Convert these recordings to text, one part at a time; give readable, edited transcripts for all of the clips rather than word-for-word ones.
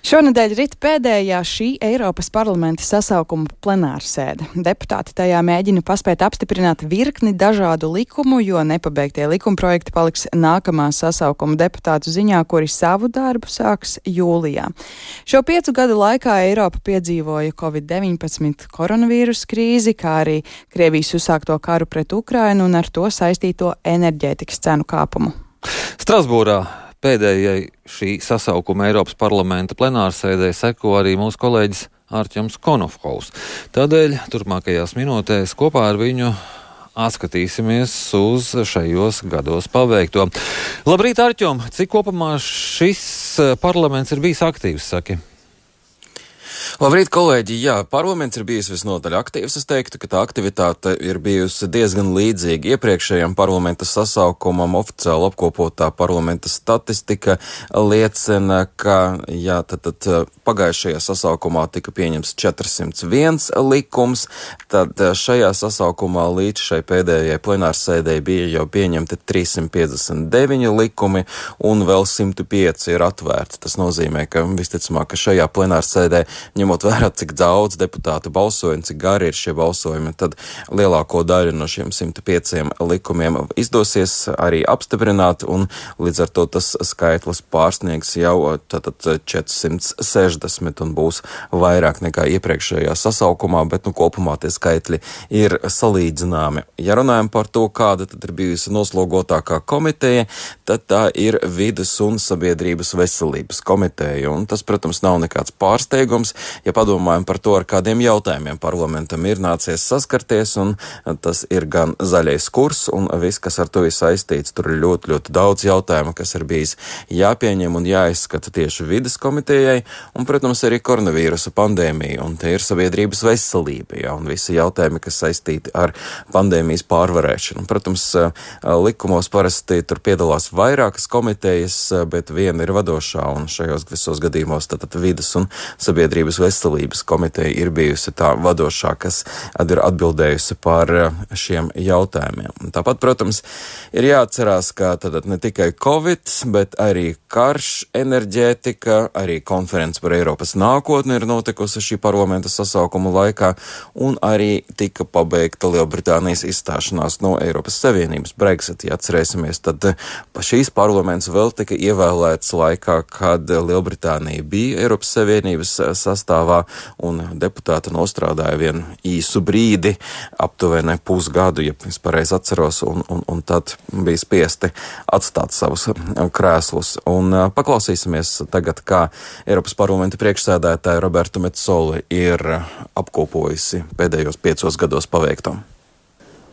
Šonedēļ rit pēdējā šī Eiropas parlamenta sasaukuma plenārsēde. Deputāti tajā mēģina paspēt apstiprināt virkni dažādu likumu, jo nepabeigtie likumprojekti paliks nākamā sasaukuma deputātu ziņā, kuri savu darbu sāks jūlijā. Šo 5 gadu laikā Eiropa piedzīvoja Covid-19 koronavīrusa krīzi, kā arī Krievijas uzsākto karu pret Ukrainu un ar to saistīto enerģētikas cenu kāpumu. Strasbūrā pēdējai šī sasaukuma Eiropas parlamenta plenārsēdē seko arī mūsu kolēģis Artjoms Konofkovs. Tādēļ turpmākajās minūtēs kopā ar viņu atskatīsimies uz šajos gados paveikto. Labrīt, Artjom! Cik kopumā šis parlaments ir bijis aktīvs, saki? Labrīt, kolēģi! Jā, parlaments ir bijis visnotaļ aktīvs. Es teiktu, ka tā aktivitāte ir bijusi diezgan līdzīga iepriekšējām parlamenta sasaukumam. Oficiāli apkopotā parlamenta statistika liecina, ka tad pagājušajā sasaukumā tika pieņemts 401 likums, tad šajā sasaukumā līdz šai pēdējai plenārsēdei bija jau pieņemti 359 likumi un vēl 105 ir atvērti. Tas nozīmē, ka visticamāk, ka šajā plenārsēdē ņemot vērā, cik daudz deputātu balsoja un cik gari ir šie balsojumi, tad lielāko daļu no šiem 105 likumiem izdosies arī apstiprināt, un līdz ar to tas skaitlis pārsniegs jau 460 un būs vairāk nekā iepriekšējā sasaukumā, bet kopumā tie skaitļi ir salīdzināmi. Ja runājam par to, kāda tad ir bijusi noslogotākā komiteja, tad tā ir vides un sabiedrības veselības komiteja, un tas, protams, nav nekāds pārsteigums. Ja padomājam par to, ar kādiem jautājumiem parlamentam ir nācies saskarties, un tas ir gan zaļais kurs, un viss, kas ar to ir saistīts, tur ir ļoti, ļoti daudz jautājumu, kas ir bijis jāpieņem un jāizskata tieši vides komitejai, un, protams, arī koronavīrusa pandēmija, un te ir sabiedrības veselība, un visi jautājumi, kas saistīti ar pandēmijas pārvarēšanu. Protams, likumos parasti tur piedalās vairākas komitejas, bet viena ir vadošā, un šajos visos gadījumos tad vides un sabiedrības veselības komiteja ir bijusi tā vadošā, kas ir atbildējusi par šiem jautājumiem. Un tāpat, protams, ir jāatcerās, ka tad ne tikai Covid, bet arī karš, enerģētika, arī konference par Eiropas nākotni ir notikusi šī parlamenta sasaukuma laikā, un arī tika pabeigta Lielbritānijas izstāšanās no Eiropas Savienības Brexit. Ja atcerēsimies, tad šīs parlaments vēl tika ievēlēts laikā, kad Lielbritānija bija Eiropas Savienības sastāvā, un deputāti nostrādāja vienu īsu brīdi, aptuveni pusgadu, ja es pareizi atceros, un tad bija spiesti atstāt savus krēslus. Un paklausīsimies tagad, kā Eiropas parlamenta priekšsēdētāja Roberta Metsola ir apkopojusi pēdējos 5 gados paveikto.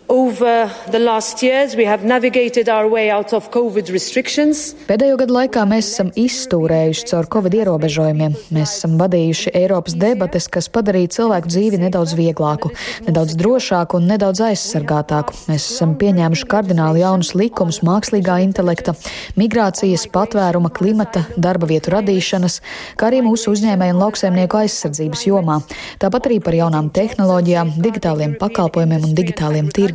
Over the last years, we have navigated our way out of COVID restrictions. Pēdējo gadu laikā mēs esam izstūrējuši caur Covid ierobežojumiem. Mēs esam vadījuši Eiropas debates, kas padarīja cilvēku dzīvi nedaudz vieglāku, nedaudz drošāku un nedaudz aizsargātāku. Mēs esam pieņēmuši kardināli jaunus likumus mākslīgā intelekta, migrācijas, patvēruma, klimata, darba vietu radīšanas, kā arī mūsu uzņēmēju un lauksaimnieku aizsardzības jomā. Tāpat arī par jaunām tehnoloģijām, digitāliem pakalpojumiem un digitāliem tirgiem.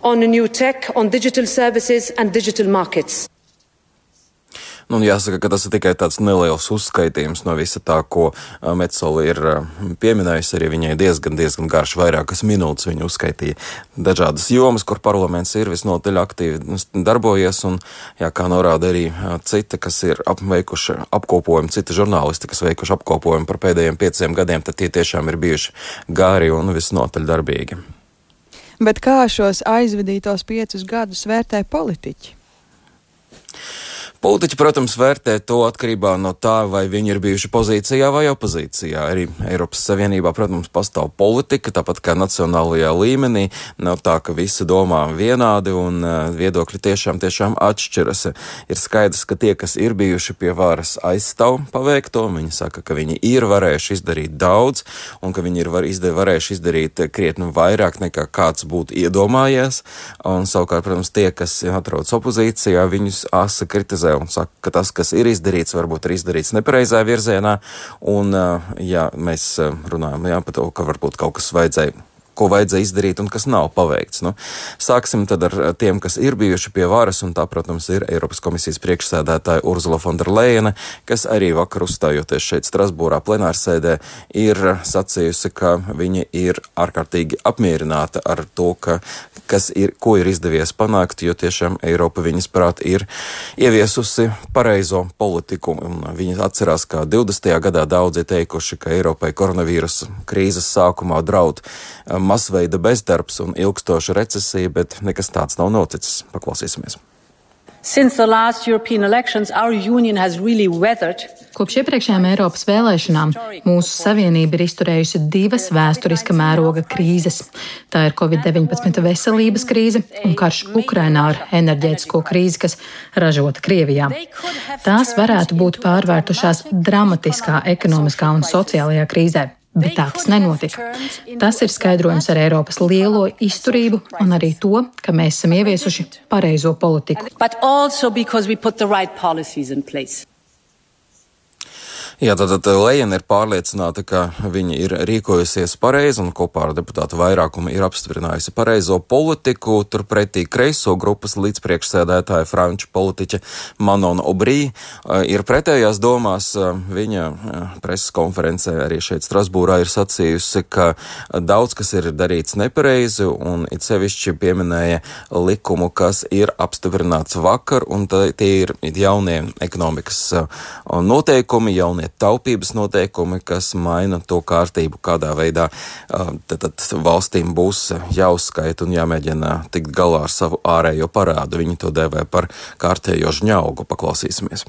On new tech, on digital services and digital markets. Jāsaka, ka tas ir tikai tāds neliels uzskaitījums no visa tā, ko Metsola ir pieminējusi. Arī viņai diezgan garš, vairākas minūtes viņa uzskaitīja dažādas jomas, kur parlaments ir visnotaļ aktīvi darbojies, un, kā norāda arī citi, kas ir veikuši apkopojumu, citi žurnālisti, kas veikuši apkopojumu par pēdējiem 5 gadiem, tad tie tiešām ir bijuši gari un visnotaļ darbīgi. Bet kā šos aizvadītos 5 gadus vērtē politiķi? Politiķi, protams, vērtē to atkarībā no tā, vai viņi ir bijuši pozīcijā vai opozīcijā. Arī Eiropas Savienībā, protams, pastāv politika, tāpat kā nacionālajā līmenī. Nav tā, ka visi domā vienādi un viedokļi tiešām atšķiras. Ir skaidrs, ka tie, kas ir bijuši pie varas, aizstāv paveikto. Viņi saka, ka viņi ir varējuši izdarīt daudz un ka viņi ir varējuši izdarīt krietni vairāk nekā kāds būtu iedomājies. Un savukārt, protams, tie, kas atrodas opozīcijā, viņus asa kritizē un saka, ka tas, kas ir izdarīts, varbūt ir izdarīts nepareizā virzienā, un mēs runājam par to, ka varbūt kaut kas vajadzēja ko vajadzēja izdarīt un kas nav paveikts. Nu, sāksim tad ar tiem, kas ir bijuši pie varas, un tā, protams, ir Eiropas komisijas priekšsēdētāja Ursula von der Leyene, kas arī vakar uzstājoties šeit Strasbūrā plenārsēdē ir sacījusi, ka viņa ir ārkārtīgi apmierināta ar to, ko ir izdevies panākt, jo tiešām Eiropa viņas prāt ir ieviesusi pareizo politiku. Un viņa atcerās, ka 20. gadā daudzi teikuši, ka Eiropai koronavīrusa krīzes sākumā draud masveida bezdarbs un ilgstoša recesija, bet nekas tāds nav noticis. Paklausīsimies. Kopš iepriekšējām Eiropas vēlēšanām mūsu savienība ir izturējusi 2 vēsturiska mēroga krīzes. Tā ir Covid-19 veselības krīze un karš Ukrainā ar enerģētisko krīzi, kas ražota Krievijā. Tās varētu būt pārvērtušās dramatiskā ekonomiskā un sociālajā krīzē. Bet tā tas nenotika. Tas ir skaidrojums ar Eiropas lielo izturību un arī to, ka mēs esam ieviesuši pareizo politiku. Jā, tātad Lejena ir pārliecināta, ka viņa ir rīkojusies pareizi un kopā ar deputātu vairākumu ir apstiprinājusi pareizo politiku. Turpretī kreiso grupas līdzpriekšsēdētāja franču politiķa Manon Aubry ir pretējās domās. Viņa preses konferencē arī šeit Strasbūrā ir sacījusi, ka daudz kas ir darīts nepareizi un it sevišķi pieminēja likumu, kas ir apstiprināts vakar, un tie ir jaunie ekonomikas noteikumi, jaunie taupības noteikumi, kas maina to kārtību, kādā veidā tad valstīm būs jāuzskaita un jāmēģina tikt galā ar savu ārējo parādu. Viņi to dēvē par kārtējo žņaugu. Paklausīsimies.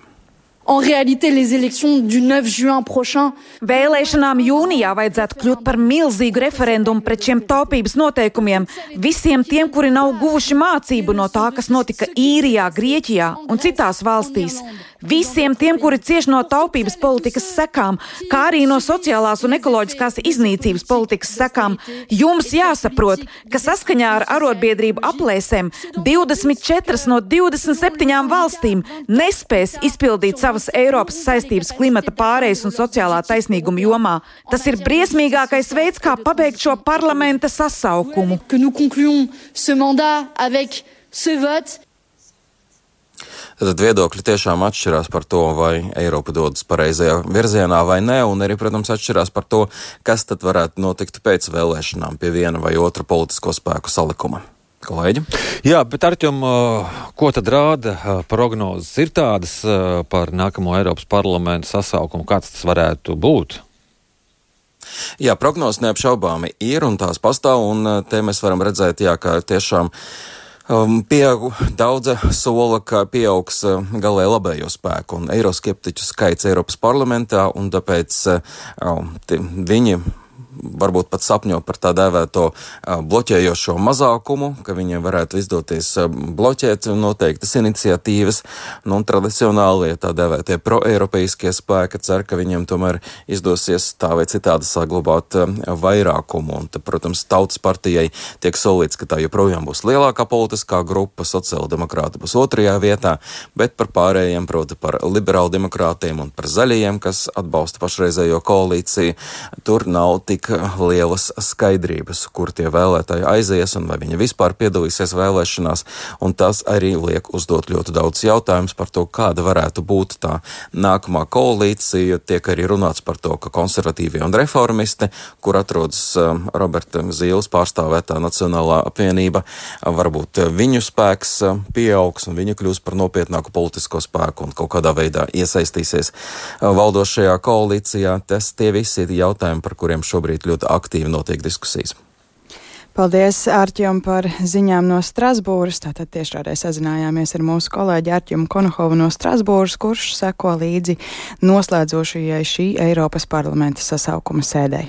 Vēlēšanām jūnijā vajadzētu kļūt par milzīgu referendumu pret šiem taupības noteikumiem visiem tiem, kuri nav guvuši mācību no tā, kas notika Īrijā, Grieķijā un citās valstīs. Visiem tiem, kuri cieš no taupības politikas sekām, kā arī no sociālās un ekoloģiskās iznīcības politikas sekām, jums jāsaprot, ka saskaņā ar arotbiedrību aplēsēm 24 no 27 valstīm nespēs izpildīt savas Eiropas saistības klimata pārejas un sociālā taisnīguma jomā. Tas ir briesmīgākais veids, kā pabeigt šo parlamenta sasaukumu. Tad viedokļi tiešām atšķirās par to, vai Eiropa dodas pareizajā virzienā vai nē, un arī, protams, atšķirās par to, kas tad varētu notikt pēc vēlēšanām pie viena vai otra politisko spēku salikuma. Kolēģi? Jā, bet Arķom, ko tad rāda prognozes? Ir tādas par nākamo Eiropas parlamentu sasaukumu, kāds tas varētu būt? Jā, prognozes neapšaubāmi ir un tās pastāv, un te mēs varam redzēt, jā, ka tiešām daudza sola, ka pieaugs galēji labējo spēku un eiroskeptiķu skaits Eiropas parlamentā, un tāpēc viņi varbūt pat sapņo par tā dēvēto bloķējošo mazākumu, ka viņiem varētu izdoties bloķēt noteiktas iniciatīvas, un tradicionālie tā dēvētie proeiropeiskie spēki cer, ka viņiem tomēr izdosies tā vai citādi saglabāt vairākumu, un tad, protams, Tautas partijai tiek solīts, ka tā joprojām būs lielākā politiskā grupa, sociāldemokrāti būs 2. vietā, bet par pārējiem, proti par liberāldemokrātiem un par zaļajiem, kas atbalsta pašreizējo koalīciju, tur nav tik lielas skaidrības, kur tie vēlētāji aizies un vai viņi vispār piedalīsies vēlēšanās, un tas arī liek uzdot ļoti daudz jautājumus par to, kāda varētu būt tā nākamā koalīcija. Tiek arī runāts par to, ka konservatīvie un reformisti, kur atrodas Roberta Zīles pārstāvētā Nacionālā apvienība, varbūt viņu spēks pieaugs un viņi kļūs par nopietnāku politisko spēku un kaut kādā veidā iesaistīsies valdošajā koalīcijā. Tie visi ir jautājumi, par kuriem šobrīd ļoti aktīvi notiek diskusijas. Paldies, Arķim, par ziņām no Strasbūras. Tātad tiešraidē sazinājāmies ar mūsu kolēģi Arķimu Konohovu no Strasbūras, kurš seko līdzi noslēdzošajai šī Eiropas parlamenta sasaukuma sēdei.